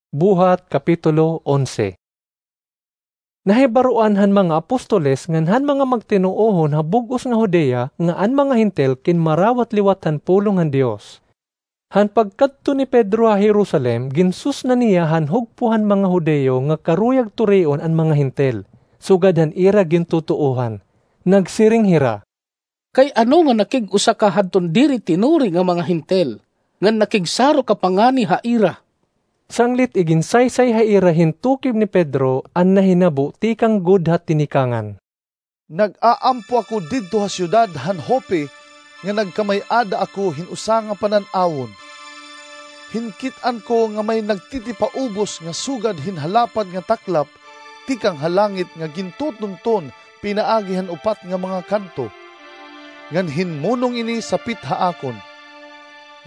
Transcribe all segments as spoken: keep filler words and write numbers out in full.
Buhat, Kapitulo onse. Nahibaroan han mga apostoles ngan han mga magtinuohon ha bug-os nga Judea nga an mga Hentil kinmarawat liwat han pulong han Dios. Han pagkadto ni Pedro ha Jerusalem, ginsusna niya han hugpo han mga Judio nga karuyag turion an mga Hentil, sugad han ira gintutuohan. Nagsiring hira, "Kay ano nga nakig-usa ka hadton diri tinuri nga mga Hentil, ngan nakigsaro ka pa ngani ha ira?" Sanglit iginsaysay ha ira hin tukib ni Pedro an nahinabo tikang gud ha tinikangan. "Nag-aampo ako didto ha syudad han Joppe nga nagkamay-ada ako hin usa nga panan-awon. Hinkit-an ko nga may nagtitipaubos nga sugad hin halapad nga taklap tikang ha langit nga gintutunton pinaagi han upat nga mga kanto. Ngan hinmunong ini sapit ha akon.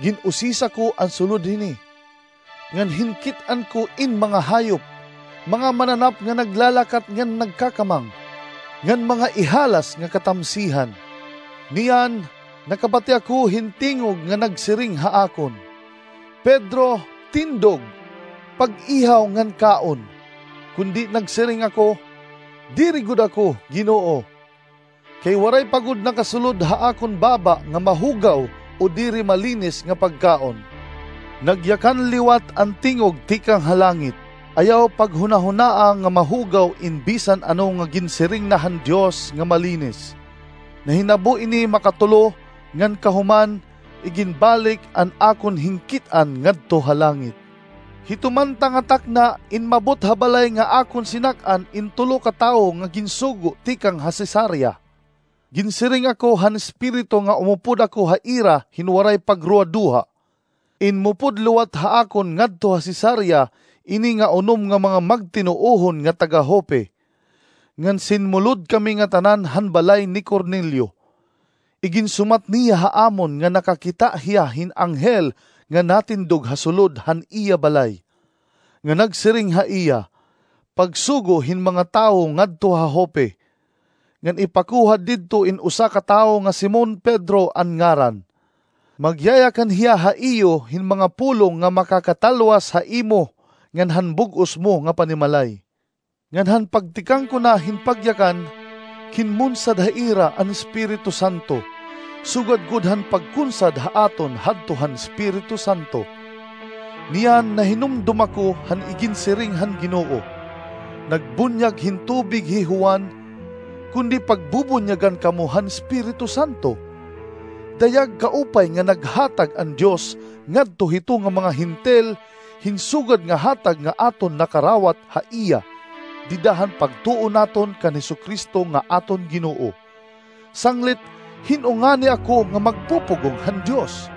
Gin-usisa ko an sulod hini. Ngan hinkit-an ko in mga hayop, mga mananap nga naglalakat ngan nagkakamang, ngan mga ihalas nga katamsihan. Niyan, nakabati ako hin tingog nga nagsiring ha akon, 'Pedro, tindog, pag-ihaw ngan kaon.' Kundi nagsiring ako, 'Diri gud ako, Ginoo, kay waray pa gud nakasulod ha akon baba nga mahugaw o diri malinis nga pagkaon.' Nagyakan liwat an tingog tikang ha langit, 'Ayaw paghunahunaa nga mahugaw in bisan ano nga ginsiring na han Dios nga malinis.' Nahinabo ini makatulo, ngan kahuman, iginbalik an akon hinkit-an ngadto ha langit. Hito man ta nga takna, inmabot ha balay nga akon sinak-an in tulo ka tawo nga ginsugo tikang ha Cesarea. Ginsiring ako han Espiritu nga umupod ako ha ira hin waray pagruwaduha. Inmupod liwat ha akon ngadto ha Cesarea ini nga unom nga mga magtinuohon nga taga-Joppe. Ngan sinmulod kami ngatanan han balay ni Cornelio. Iginsumat niya ha amon nga nakakita hiya hin anghel nga natindog ha sulod han iya balay, nga nagsiring ha iya, 'Pagsugo hin mga tawo ngadto ha Joppe, ngan ipakuha didto in usa ka tawo nga Simon Pedro an ngaran. Magyayakan hiya ha iyo hin mga pulong nga makakatalwas ha imo ngan han bug-os mo nga panimalay.' Ngan han pagtikang ko na hin pagyakan, kinmunsad ha ira an Espiritu Santo, sugad gud han pagkunsad ha aton hadto han Espiritu Santo. Niyan nahinumdom ako han iginsiring han Ginoo, 'Nagbunyag hin tubig hi Juan, kundi pagbubunyagan kamo han Espiritu Santo.' Dayag kaupay nga naghatag an Dios ngadto hito nga mga Hentil hin sugad nga hatag nga aton nakarawat ha iya, dida han pagtuo naton kan Jesu-Cristo nga aton Ginoo. Sanglit, hin-o ngani ako nga magpupugong han Dios?"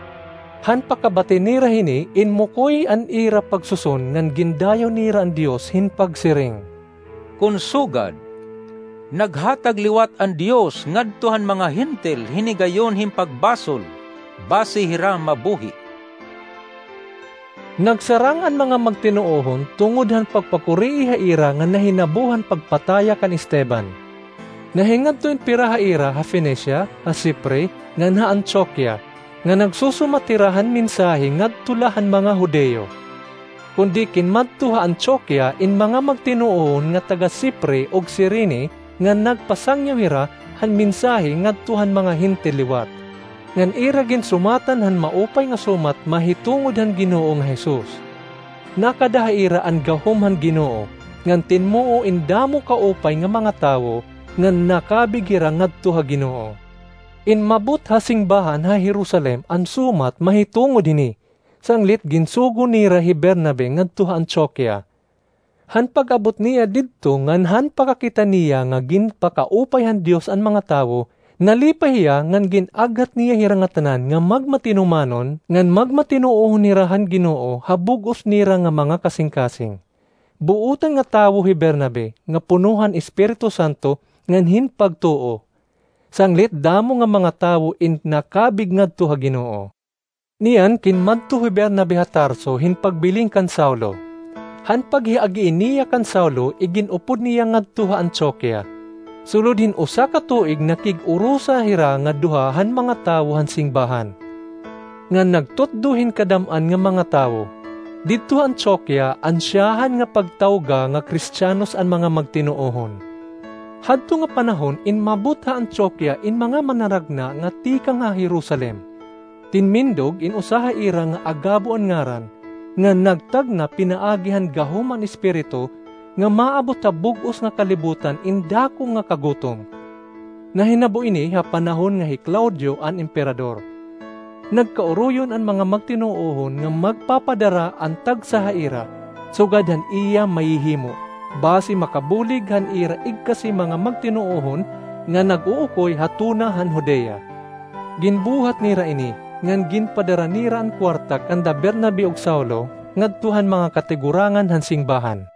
Han pakabati nira hini, inmukoy an ira pagsuson ngan gindayaw nira an Dios hin pagsiring, "Kon sugad, naghatag liwat an Dios ngadto han mga Hentil hin higayon hin pagbasol, basi hira mabuhi." Nagsarang an mga magtinuohon tungod han pagpakurii ha ira nga nahinabo han pagpataya kan Esteban. Nahingadto in pira ha ira ha Fenicia, ha Cipre, ngan ha Antioquia, nga nagsusumat hira han mensahe ngadto la han mga Judio. Kundi kinmadto ha Antioquia in mga magtinuohon nga taga-Cipre ug Cirene, nga nagpasangyaw hira han mensahe ngadto han mga Hentil liwat, ngan ira ginsumatan han Maupay nga Sumat mahitungod han Ginoo nga Jesus. Nakada ha ira an gahom han Ginoo, ngan tinmuo in damo kaupay nga mga tawo, ngan nakabig hira ngadto ha Ginoo. Inmabot ha singbahan ha Jerusalem an sumat mahitungod hini, sanglit ginsugo nira hi Bernabe ngadto ha Antioquia. Han pag-abot niya didto ngan han pakakita niya nga ginpakaupay han Dios an mga tawo, nalipay hiya ngan gin-aghat niya hira ngatanan nga magmatinumanon ngan magmatinuohon hira han Ginoo ha bug-os nira nga mga kasingkasing. Buotan nga tawo hi Bernabe nga puno han Espiritu Santo ngan hin pagtuo. Sanglit damo nga mga tawo in nakabig ngadto ha Ginoo. Niyan kinmadto hi Bernabe ha Tarso hin pagbilin kan Saulo. Han paghiagii niya kan Saulo, igin-upod niya ngadto ha Antioquia. Sulod hin usa ka tuig nakig-urusa hira nga duha han mga tawo han singbahan, ngan nagtutdo hin kadam-an nga mga tawo. Didto ha Antioquia, ansyahan nga pagtawga nga Kristiyanos an mga magtinuohon. Hadto nga panahon, inmabot ha Antioquia in mga manaragna nga tikang ha Jerusalem. Tinmindog in usa ha ira nga Agabo an ngaran, nga nagtagna pinaagi han gahom an Espiritu nga maabot ha bug-os nga kalibutan in dako nga kagutom. Nahinabo ini ha panahon nga hi Claudio an emperador. Nagkauroyon an mga magtinuohon nga magpapadara an tagsa ha ira, sugad han iya mahihimo, basi makabulig han ira igkasi mga magtinuohon nga nag-uukoy ha tuna han Judea. Ginbuhat nira ini, ngan ginpadara nira an kuwarta kanda Bernabe ug Saulo ngadto han mga katigurangan han singbahan.